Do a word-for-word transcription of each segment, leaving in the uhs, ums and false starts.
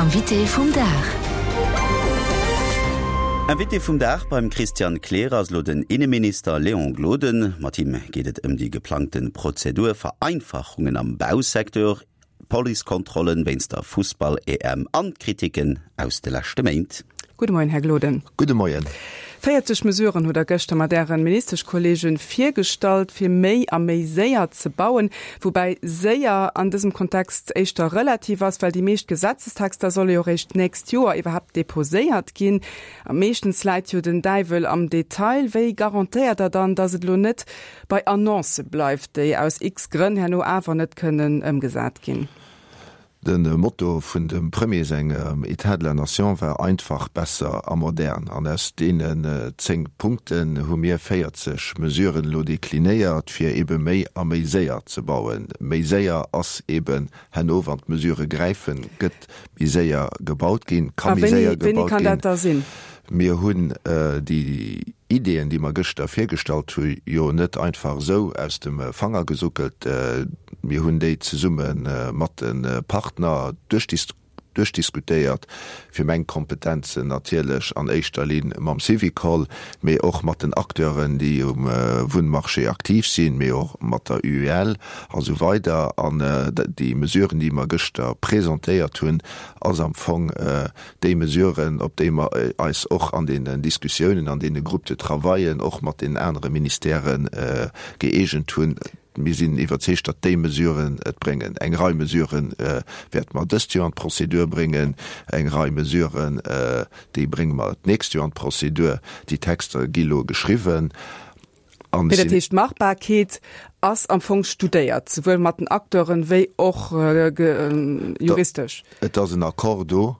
Invité vum Dag. Invité vum Dag beim Christian Kleer ass lo den Inneminister Léon Gloden. Mat him geet et ëm déi geplangte Prozedur-Vereinfachungen am Bausecteur, Policekontrollen wéinst der Fussball-EM an d'Kritiken aus de leschte Méint. Gudde Moien, Här Gloden. Gudde Moien. Véierzeg Mesuren hutt Der gëschter mat Ären Ministeschkollegen virgestallt, fir méi a méi séier ze bauen. Woubäi séier an dësem Kontext éischter relativ ass, well déi meescht Gesetzestexter solle jo réischt d'nächst Joer iwwerhaapt deposéiert ginn. A meeschtens läit jo den Däiwel am Detail. Wéi garantéiert Der dann, datt et elo net bei Annoncë bleift, déi aus x Grënn herno awer net kënnen ëmgesat ginn? De Motto vun dem Premier sengem État de la Nation war einfach, besser a modern. An aus deenen zéng Punkten hu mir véierzeg Mesuren elo deklinéiert, fir ebe méi a méi séier ze bauen. Méi séier ass eben herno, wann d'Mesurë gräifen, gëtt méi séier gebaut ginn, ka méi séier gebaut ginn. A wéini kann dat da sinn? Mir hunn déi Ideeën, déi mer gëschter virgestallt hu jo net einfach esou aus dem Fanger gesuckelt. Mir hunn déi zesumme mat de Partner duerchdiskutéiert, fir meng Kompetenzen natierlech an éischter Linn mam Syvicol, mee och mat den Acteuren, déi um Wunnmarché aktiv sinn, mee och mat der UEL a sou weider. An déi Mesuren, déi mer gëschter presentéiert hunn, ass am Fong déi Mesuren, op déi mer eis och an deenen Diskussiounen, an deene Groupes de travaillen, och mat deenen anere Ministèrë gëeegent hunn. Mir sinn iwwerzeegt, datt déi Mesuren et bréngen. Eng Rei Mesurë wäerte mer dëst Joer an d'Prozedur bréngen, eng Rei Mesuren, déi brénge mer d'nächst Joer an d'Prozedur. Déi Texter gi lo geschriwwen. An Mee dat heescht, d'Machbarkeet ass am Fong studéiert, souwuel mat den Acteuren wéi och juristesch? Et ass en Accord do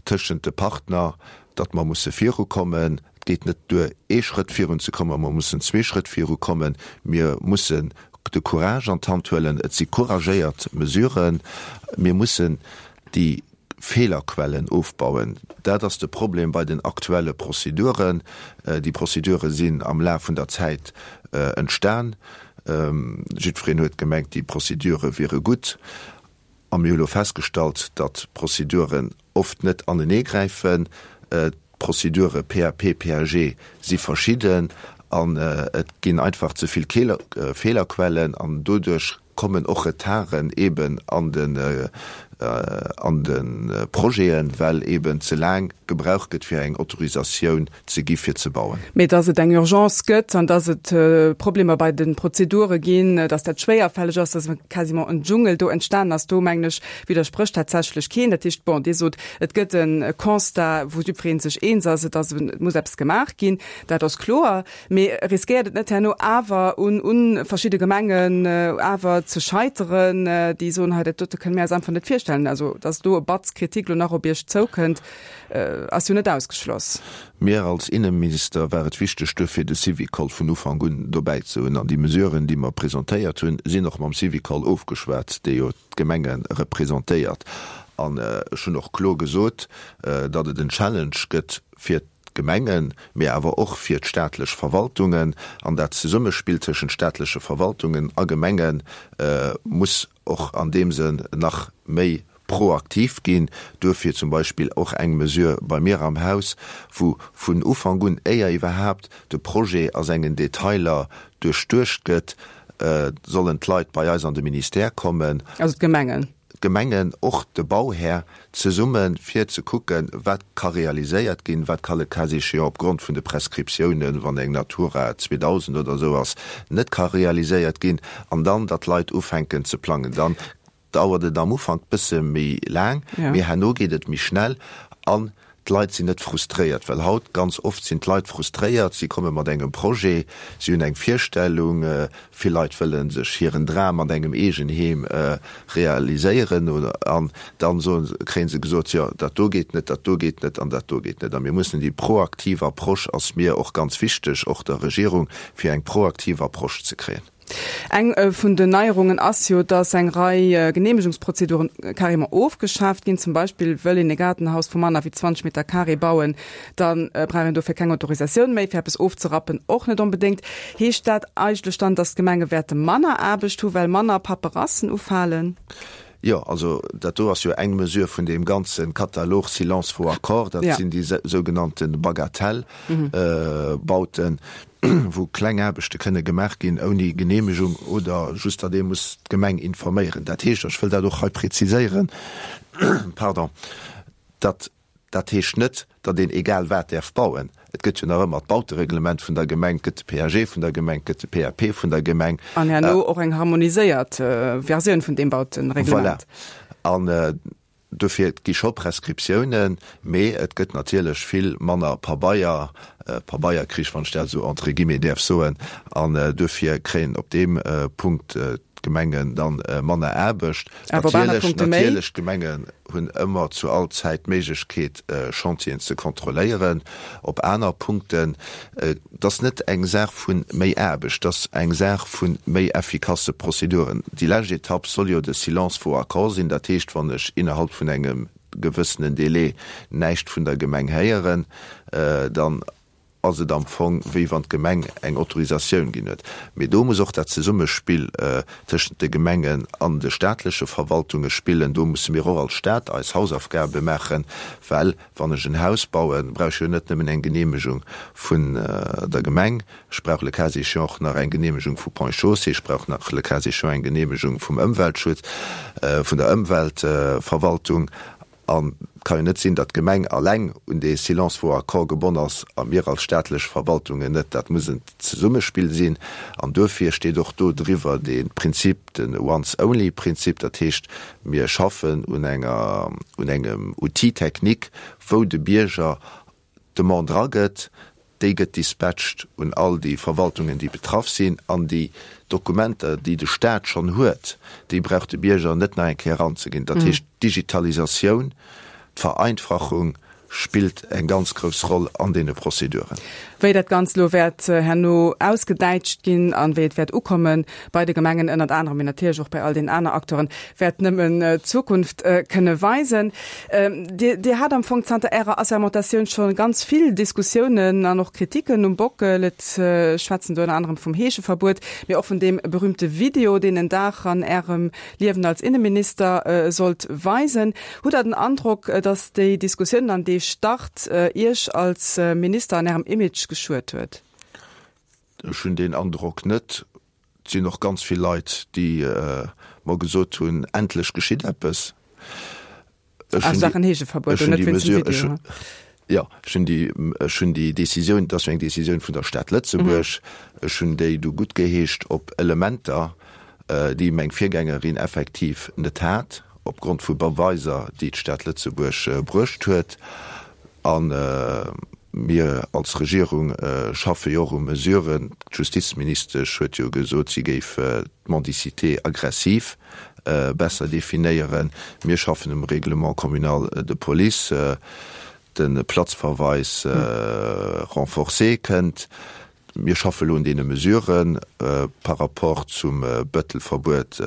tëschent de Partner, datt mer musse virukommen. Et geet net duer, ee Schrëtt virunzekommen, mer mussen zwee Schrëtt virukommen. Mir mussen de Courage an d'Hand huelen. Et si couragéiert Mesuren. Mir mussen déi Feelerquellen ofbauen. Dat ass de Problem bei den aktuelle Prozeduren. Déi Prozedure sinn am Laf vun der Zäit entstan. Jiddwereen huet gemengt, déi Prozedure wiere gutt. A mir hu lo festgestallt, datt d'Prozeduren oft net aneneegräifen. D'Prozedure P A P, P A G si verschidden an et ginn einfach ze vill Feelerquellen an doduerch kommen och Retarden eben an den an de Projeten, well eben ze laang gebraucht gëtt fir eng Autorisatioun ze gi fir ze bauen. Mee dass et eng Urgence gëtt an dass et Problemer bei de Prozedure ginn, dass dat schwéierfälleg ass, dass quasiment en Dschungel do entstanen ass, do mengen ech widdersprécht tatsächlech keen. Dat heescht, bon, Dir sot, et gëtt e Constat, wou jiddweree sech eens ass, et ass, et muss eppes gemaach ginn, dat ass kloer. Mee riskéiert et net herno awer un un verschidde Gemengen awer ze scheiteren, déi soen, hei dat dote kënne mir eis einfach net virstellen? Also dass do e Batz Kritik lo nach op Iech zoukënnt, ass jo net ausgeschloss. Mir als Inneminister war et wichteg, duerfir de Syvicol vun Ufank un dobäi ze hunn. An déi Mesuren, déi mer presentéiert hunn, sinn och mam Syvicol ofgeschwat, dee jo d'Gemenge representéiert. An ech hunn och kloer gesot, datt et en Challenge gëtt fir d'Gemengen, mee awer och fir d'staatlech Verwaltungen. An dat Zesummespill tëschent staatleche Verwaltungen a Gemenge muss och an deem Sënn nach méi proaktiv ginn. Duerfir zum Beispill och eng Mesure bei mir am Haus, wou vun Ufank un, éier iwwerhaapt de Projet a sengen Detailer duerchduecht gëtt, sollen d'Leit bei eis an de Ministère kommen. Also d'Gemengen. D'Gemengen, och de Bauhär, zesummen, fir ze kucken, wat ka realiséiert ginn, wat ka le cas échéant opgrond vun de Prescriptiounen, wann eng Natura zweedausend oder esou ass, net ka realiséiert ginn, an dann, datt d'Leit ufänken ze plangen. Dann dauert et am Ufank bësse méi laang, mee herno geet et méi schnell an d'Leit sinn net frustréiert. Well haut ganz oft sinn d'Leit frustréiert, si komme mat engem Projet, si hunn eng Virstellung, vill Leit wëlle sech hiren Dram mat engem Eegenheem realiséieren oder an dann soen, kréie se gesot, jo dat do geet net, dat do geet net an dat do geet net. A mir mussen déi proaktiv Approche ass mir och ganz wichteg, och der Regierung, fir eng proaktiv Approche ze kréien. Eng vun den Neierungen ass jo, dass eng Rei Geneemegungsprozeduren carrément ofgeschaaft ginn. Zum Beispill wëll een e Gaardenhaus vu manner wéi zwanzeg Meter carré bauen, da brauch een dofir keng Autorisatioun méi, fir eppes ofzerappen och net onbedéngt. Heescht dat eigentlech dann, dass d'Gemenge wäerte manner Aarbecht hu well manner Paperassen ufalen? Jo, also dat do ass jo eng Mesure vun deem ganze Katalog Silence vaut accord. Dat sinn déi sougenannte Bagatellbauten, wou kleng Aarbechte kënne gemaach ginn ouni Geneemegung oder just datt ee muss d'Gemeng informéieren. Dat heescht, ech wëll dat och hei präziséieren, pardon, datt dat heescht net, datt een egal wat däerf bauen. Et gëtt jo nach ëmmer d'Bautereglement vun der Gemeng, et gëtt de PAG vun der Gemeng, et gëtt de PAP vun der Gemeng. An herno och eng harmoniséiert Versioun vun deem Bautereglement. Voilà. An dofir, et gi scho Prescriptiounen, mee et gëtt natierlech vill manner Pabeier, Pabeierkrich, wann ech dat esou entre guillemets däerf soen. An duerfir kréien op deem Punkt d'Gemengen dann manner Aarbecht. Awer op aner Punkte méi. Natierlech, d'Gemengen hunn ëmmer zu all Zäit d'Méiglechkeet, Chantieren ze kontrolléieren. Op aner Punkten, et ass net eng Saach vu méi Aarbecht, et ass eng Saach vu méi effikasse Prozeduren. Déi lescht Etapp soll jo de Silence vaut accord sinn. Dat heescht, wann ech innerhalb vun engem gewëssenen Délai näischt vun der Gemeng héieren, dann ass et am Fong, wéi wann d'Gemeng eng Autorisatioun ginn huet. Mee do muss och dat Zesummespill tëschent de Gemengen an de staatleche Verwaltunge spillen. Do musse mir och als Stat eis Hausaufgabe maachen, well wann ech en Haus bauen, brauch ech jo net nëmmen eng Genehmegung vun der Gemeng, ech brauch le cas échéant och nach eng Genehmegung vu Ponts et Chaussées, ech brauch nach le cas échéant eng Genehmegung vum Ëmweltschutz, vun der Ëmweltverwaltung. An et ka jo net sinn, datt d'Gemeng alleng un dee Silence vaut accord gebonn ass a mir als staatlech Verwaltungen net. Dat muss en Zesummespill sinn. An duerfir steet och do driwwer dee Prinzip, de Once-only-Prinzip. Dat heescht, mir schaffen un enger, un engem Outil technique, wou de Bierger d'Demande eragëtt, déi gëtt dispatcht un all déi Verwaltungen, déi betraff sinn, an déi Dokumenter, déi de Staat schonn huet, déi brauch de Bierger net nach eng Kéier eranzeginn. Dat heescht, d'Digitalisatioun, d'Vereinfachung spillt eng ganz grouss Roll an deene Prozeduren. Wéi dat Ganzt elo wäert herno ausgedäitscht ginn an wéi et wäert ukomme bei de Gemengen ënnert anerem, mee natierlech och bei all den aner Acteuren, wäert nëmmen d'Zukunft kënne weisen. Dir, Dir hat am Fong zanter Ärer Assermentatioun scho ganz vill Diskussiounen an och Kritiken um Bockel. Et schwätzen do ënner anerem vum Heescheverbuet, mee och vun deem berühmte Video, deen en Dag an Ärem Liewen als Inneminister sollt weisen. Hutt Der den Androck, datt déi Diskussiounen an dee Start Iech als Minister an Ärem Image geschuet huet? Ech hunn deen Androck net. Et sinn och ganz vill Leit, déi mer gesot hunn, endlech geschitt eppes. Ech hunn déi, ech hunn déi Mesure, ech hunn, jo, ech hunn déi, ech hunn déi Décisioun, et ass jo eng Décisioun vun der Stad Lëtzebuerg, ech hunn déi du guttgeheescht op Elementer, déi meng Virgängerin effektiv net hat, opgrond vu Beweiser, déi d'Stad Lëtzebuerg bruecht huet. A mir als Regierung schaffe jo och u Mesuren. D'Justizministesch huet jo gesot, si géif d'Mendicité aggressive besser definéieren. Mir schaffen um Règlement communal de police. De Platzverweis renforcé kënnt. Mir schaffe lo un deene Mesuren. Par rapport zum Bëttelverbuet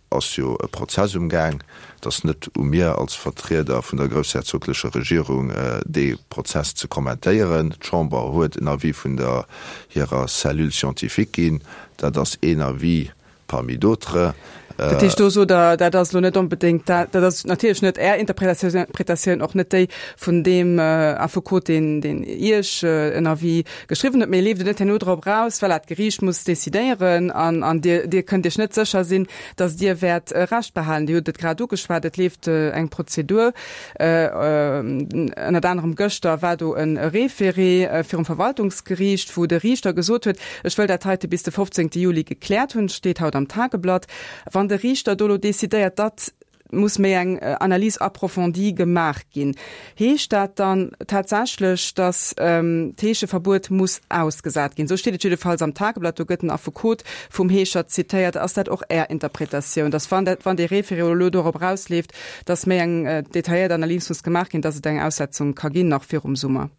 ass jo e Prozess umgaang. Et ass net u mir als Vertrieder vun der groussherzoglecher Regierung, dee Prozess ze kommentéieren. D'Chamber huet en Avis vun der hirer Cellule scientifique ginn. Dat ass een Avis parmi d'autres. Dat heescht, do sot Der, dat ass elo net onbedéngt dat, dat ass natierlech net Är Interpretatioun, och net déi vun deem Affekot, deen, deen Iech en Avis geschriwwen huet, mee leeft et net herno drop eraus, voilà, d'Geriicht muss decidéieren an, an Dir, Dir kënnt Iech net sécher sinn, datt Dir wäert Recht behalen. Dir hutt et grad ugeschwat, et leeft eng Prozedur, ënnert anerem gëschter war do e Référé virum Verwaltungsgeriicht, wou de Riichter gesot huet, ech wëll dat heite bis de fofzéngte Juli gekläert hunn, steet haut am Tageblatt. Wann de Riichter do elo decidéiert, datt muss méi eng Analyse approfondie gemaach ginn, heescht dat dann tatsächlech, datt d'Heescheverbuet muss ausgesat ginn? Esou steet et jiddefalls am Tageblatt, do gëtt den Affekot vum Heescher zitéiert. Ass dat och Är Interpretatioun, datt wann dat, wann dee Référé elo dorop erausleeft, datt méi eng detailléiert Analys muss gemaach ginn, datt et eng Aussetzung ka ginn nach virum Summer?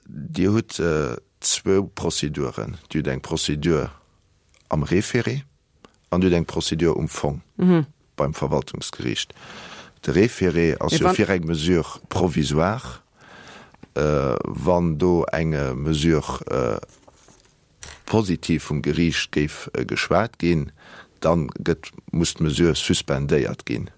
Dir hutt zwou Prozeduren. Dir hutt eng Prozedur am Référé an Dir hutt eng Prozedur um Fong beim Verwaltungsgeriicht. De Référé ass jo fir eng Mesure provisoire. Wann do eng Mesure positiv vum Geriicht géif geschwat ginn, Dann gëtt, muss d'Mesure suspendéiert ginn.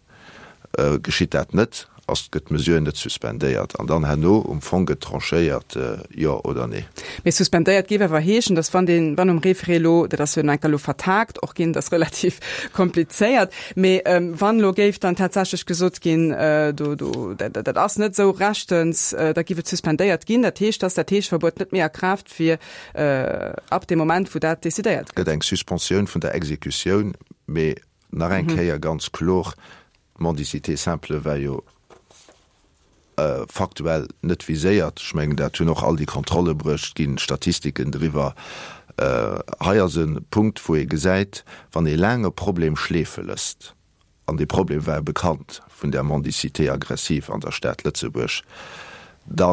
Geschitt dat net, ass, gëtt d'Mesure net suspendéiert an dann herno um Fong gëtt tranchéiert, jo oder nee. Mee suspendéiert géif awer heeschen, dass wann deen, wann um Référé elo, dat ass jo enker elo vertagt och ginn, dat ass relativ komplizéiert, mee wann elo géif dann tatsächlech gesot ginn, do, do, dat, dat ass net esou rechtens, da géif et suspendéiert ginn. Dat heescht, dass dat Heeschverbuet net méi a Kraaft wier ab deem Moment, wou dat decidéiert gëtt. Gëtt eng Suspensioun vun der Exekutioun, mee nach eng Kéier ganz kloer, d'Mendicité simple war jo faktuell net viséiert. Ech mengen, dat hunn och all déi Kontrolle bruecht, ginn Statistiken driwwer. Hei ass e Punkt, wou ee gesäit, wann ee laang e Problem schleefe lësst, an dee Problem war bekannt vun der Mendicité aggressive an der Stad Lëtzebuerg, da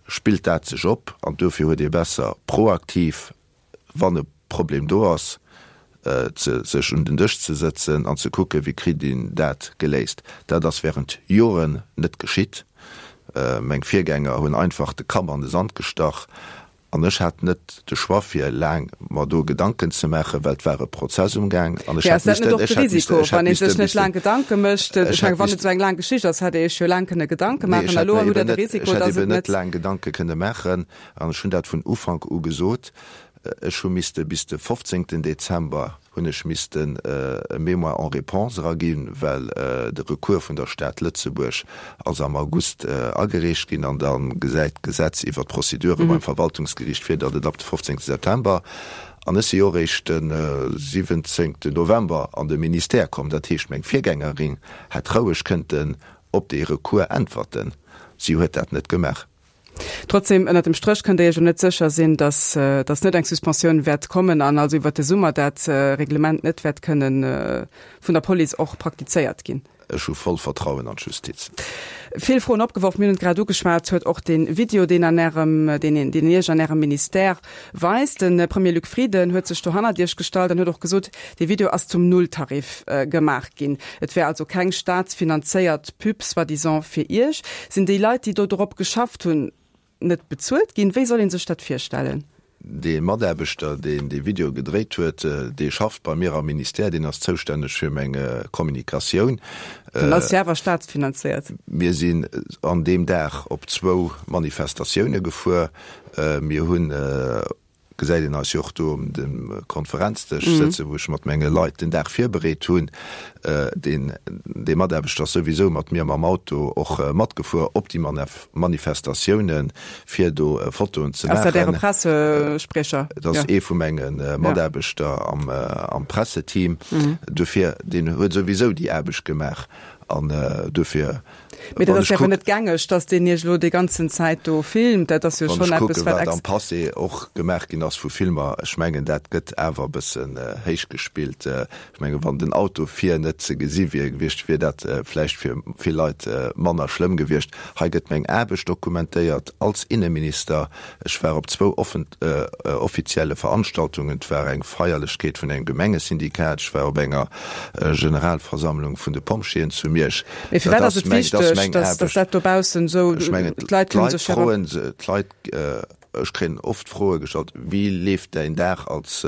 spillt dat sech op. An dofir huet ee besser proaktiv, wann e Problem do ass, ze sech un den Dësch ze sëtzen an ze kucken, wéi kritt een dat geléist. Dat ass während Joren net geschitt. Meng Virgänger hunn einfach de Kapp an de Sand gestach an ech hat net de Choix fir laang mer do Gedanken ze maachen, well et war e Prozess umgaang an ech hätt missten, ech hätt missten, ech hätt missten, missten, laang Gedanke mécht, ech hätt wann et esou eng laang Geschicht ass, hätt Dir Iech jo laang kënne Gedanke maachen. Nee, ech hätt mer eben net, ech hätt eben net laang Gedanke kënne maachen an ech hunn dat vun Ufank u gesot. Ech hu misste bis de fofzéngten Dezember hunn ech missten e Mémoire en réponse eraginn, well de Recours vun der Stad Lëtzebuerg ass am August agereecht ginn an da gesäit d'Gesetz iwwert d'Procedure beim Verwaltungsgeriicht vir, datt et ab de fofzéngte September, an ech si jo eréischt de siwwenzéngten November an de Ministère komm, dat heescht meng Virgängerin hätt roueg kënnten op dee Recours äntwerten, si huet dat net gemaach. Trotzdem, ënnert dem Stréch kënnt Der Iech jo net sécher sinn, dass, dass net eng Suspensioun wäert kommen an also iwwert de Summer dat Reglement net wäert kënnen vun der Police och praktizéiert ginn. Ech hu voll Vertrauen an d'Justiz. Vill Froen opgeworf, mir hunn et grad ugeschwat, huet och dee Video, deen an Ärem, deen een, deen Iech an Ärem Ministère weist. De Premier Luc Frieden huet sech do hannert Iech gestallt an huet och gesot, dee Video ass zum Nulltarif gemaach ginn. Et wär also keng staatsfinanzéiert Pub soi-disant fir Iech. Sinn déi Leit, déi do drop geschafft hunn, net bezuelt ginn? Wéi soll ee sech dat virstellen? Dee Mataarbechter, deen dee Video gedréit huet, dee schafft bei mir am Ministère, deen ass zoustänneg fir meng Kommunikatioun. Dann ass se awer staatsfinanzéiert. Mir sinn an deem Dag op zwou Manifestatioune gefuer. Mir hunn gesäit een eis jo och do um dem Konferenzdësch sëtzen, wou ech mat menge Leit den Dag virbereet hunn. Deen, dee Mataarbechter ass souwisou mat mir mam Auto och matgefuer op déi Manifestatiounen, fir do Fotoen ze maachen. Ass dat Äre Pressespriecher? Dat ass ee vu menge Mataarbechter am, am Presseteam. Dofir, deen huet souwisou déi Aarbecht gemaach an dofir Mee dat ass jo awer net gängeg, dass deen Iech elo déi ganzen Zäit do filmt. Dat ass jo schonn eppes, wat. Wann ech kucken, wat am Passé och gemaach ginn ass vu Filmer, ech mengen, dat gëtt awer e bëssen héich gespillt. Ech mengen, wann den Auto vir net ze gesi wier gewiescht, wier dat vläicht fir vill Leit manner schlëmm gewiescht. Hei gëtt meng Aarbecht dokumentéiert als Inneminister. Ech war op zwou offizielle Veranstaltungen. Et war eng Feierlechkeet vun engem Gemengesyndikat, ech war op enger Generalversammlung vun de Pompjeeën zu Miersch. Mee firwat ass et wichteg, dass dat dobaussen esou, d'Leit kënnen sech jo. D'Leit, ech kréien oft Froe gestallt, wéi leeft däin Dag als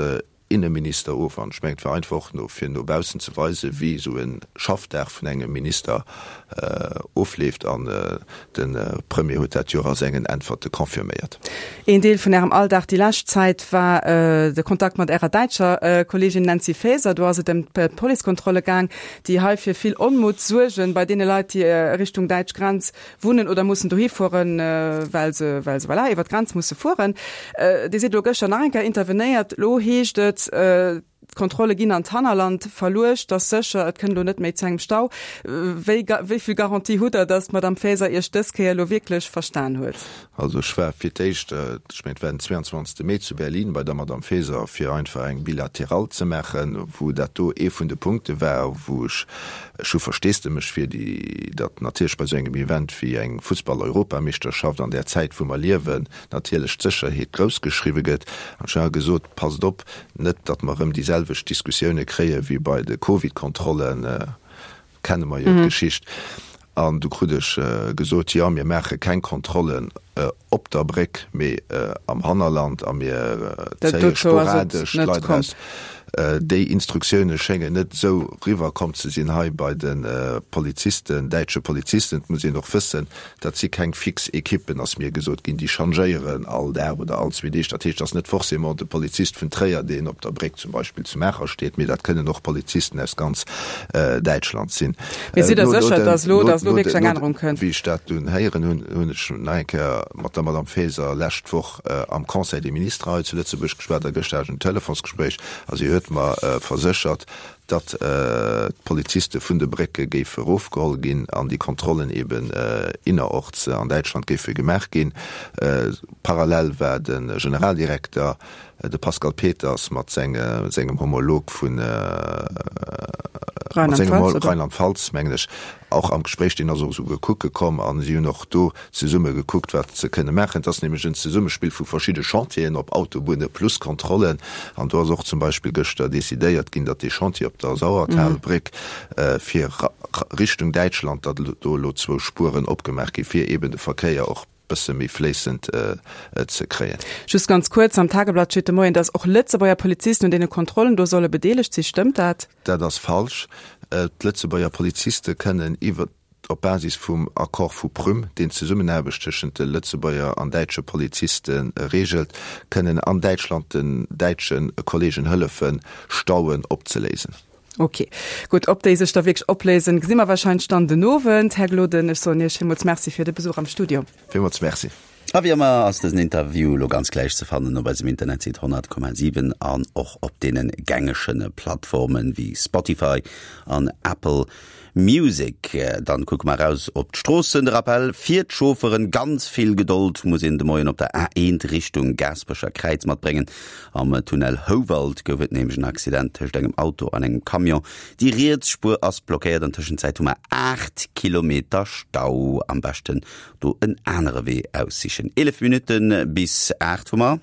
Inneminister of? An ech mengen, et war einfach och no, fir no baussen ze weisen, wéi esou e Schaffdag vun engem Minister ofleeft. An de Premier huet dat jo och a sengen Äntwerte confirméiert. Een Deel vun Ärem Alldag déi lescht Zäit war de Kontakt mat Ärer däitscher Kolleegin Nancy Faeser. Do ass et ëm d'Policekontrolle gaang, déi hei fir vill Onmutt suergen bei deene Leit, déi Richtung däitsch Grenz wunnen oder mussen dohi fueren, well se, well se, voilà, iwwer d'Grenz musse fueren. Dir sidd elo gëschter nach eng Kéier intervenéiert. Elo heescht et, d'Kontrolle ginn an d'Hannerland verluecht, dass sécher, et kënnt elo net méi zu engem Stau. Wéi, wéi vill Garantie hutt Der, dass d'Madame Faeser Iech dës Kéier elo wierklech verstan huet? Also ech war fir d'éischt, ech mengen et war den zweiundzwanzegste Mee zu Berlin bei der Madame Faeser, fir einfach eng Bilaterale ze maachen, wou dat do ee vun de Punkte war, wou ech, ech hu Versteesdemech fir déi, datt natierlech bei esou engem Event wéi eng Fussball-Europameeschterschaft an där Zäit wou mer liewen, natierlech d'Sécherheet grouss geschriwwe gëtt. An ech hu gesot, passt op, net datt mer erëm déi selwecht Diskussioune kréie wéi bei de Covid-Kontrollen, kenne mer jo d'Geschicht. An du krut ech gesot, jo, mir maache keng Kontrollen op der Bréck, mee am Hannerland a mir zéie sporadesch d'Leit eraus. Déi Instruktioune schéngen net esou riwwer komm ze sinn hei bei de Polizisten, däitsche Polizisten. Et muss een och wëssen, dat si keng fix Ekippen, ass mir gesot ginn, déi changéieren all Dag oder all zwee Deeg. Dat heescht, et ass net forcément de Polizist vun Tréier, deen op der Bréck zum Beispill zu Maacher steet, mee dat kënnen och Polizisten aus ganz Däitschland sinn. Mee sidd Der sécher, datt elo, datt elo wierklech eng Ännerung kënnt? Wéi ech dat dunn héieren hunn, hunn ech nach eng Kéier mat der Madame Faeser lescht Woch am Conseil des ministres hei zu Lëtzebuerg geschwat a gëschter hat ech en Telefonsgespréich a si huet mer verséchert, datt d'Poliziste vun de Brécke géife erofgeholl ginn an déi Kontrollen eben innerorts an Däitschland géife gemaach ginn. Parallel war de Generaldirekter, de Pascal Peters, mat sengem Homolog vu Rheinland-Pfalz, mengen ech, och am Gespréich, deen ass och esouguer kucke komm a si hunn och do zesumme gekuckt, wat se kënne maachen. Et ass nämlech en Zesummespill vu verschidde Chantieren op Autobunne plus Kontrollen. An do ass och zum Beispill gëschter decidéiert ginn, datt dee Chantier op der Sauertalbréck fir Richtung Däitschland, datt do elo zwou Spueren opgemaach gi fir eeben de Verkéier och bësse méi fléissend ze kréien. Just ganz kuerz, Am Tageblatt steet de Moien, datt och Lëtzebuerger Polizisten un deene Kontrollen do solle bedeelegt sinn. Stëmmt dat? Dat ass falsch. D'Lëtzebuerger Poliziste kënnen iwwer, op Basis vum Accord vu Prüm, deen d'Zesummenaarbecht tëschent de Lëtzebuerger an däitsche Poliziste reegelt, kënnen an Däitschland den däitsche Kolleegen hëllefen, Stauen opzeléisen. Ok, gutt. Ob déi sech da wierklech opléisen, gesi mer warscheinlech dann den Owend. Här Gloden, ech soen Iech villmools Merci fir de Besuch am Studio. Villmools Merci. A wéi ëmmer ass dësen Interview elo ganz gläich ze fannen op eisem Internetsite honnert Komma siwen an och op deene gängege Plattformen wéi Spotify an Apple Music. Dann kucke mer eraus op d'Stroossen. De Rappell fir d'Chaufferen, Ganz vill Gedold muss een de Moien op der A eent Richtung Gaasperecher Kräiz matbréngen. Am Tunnel Houwald gouf et nämlech en Accident tëscht engem Auto an engem Camion. Déi riets Spuer ass blockéiert. An Tëschenzäit hu mer aacht Kilometer Stau. Am beschten do en anere Wee aussichen. Eelef Minutte bis aacht hu mer.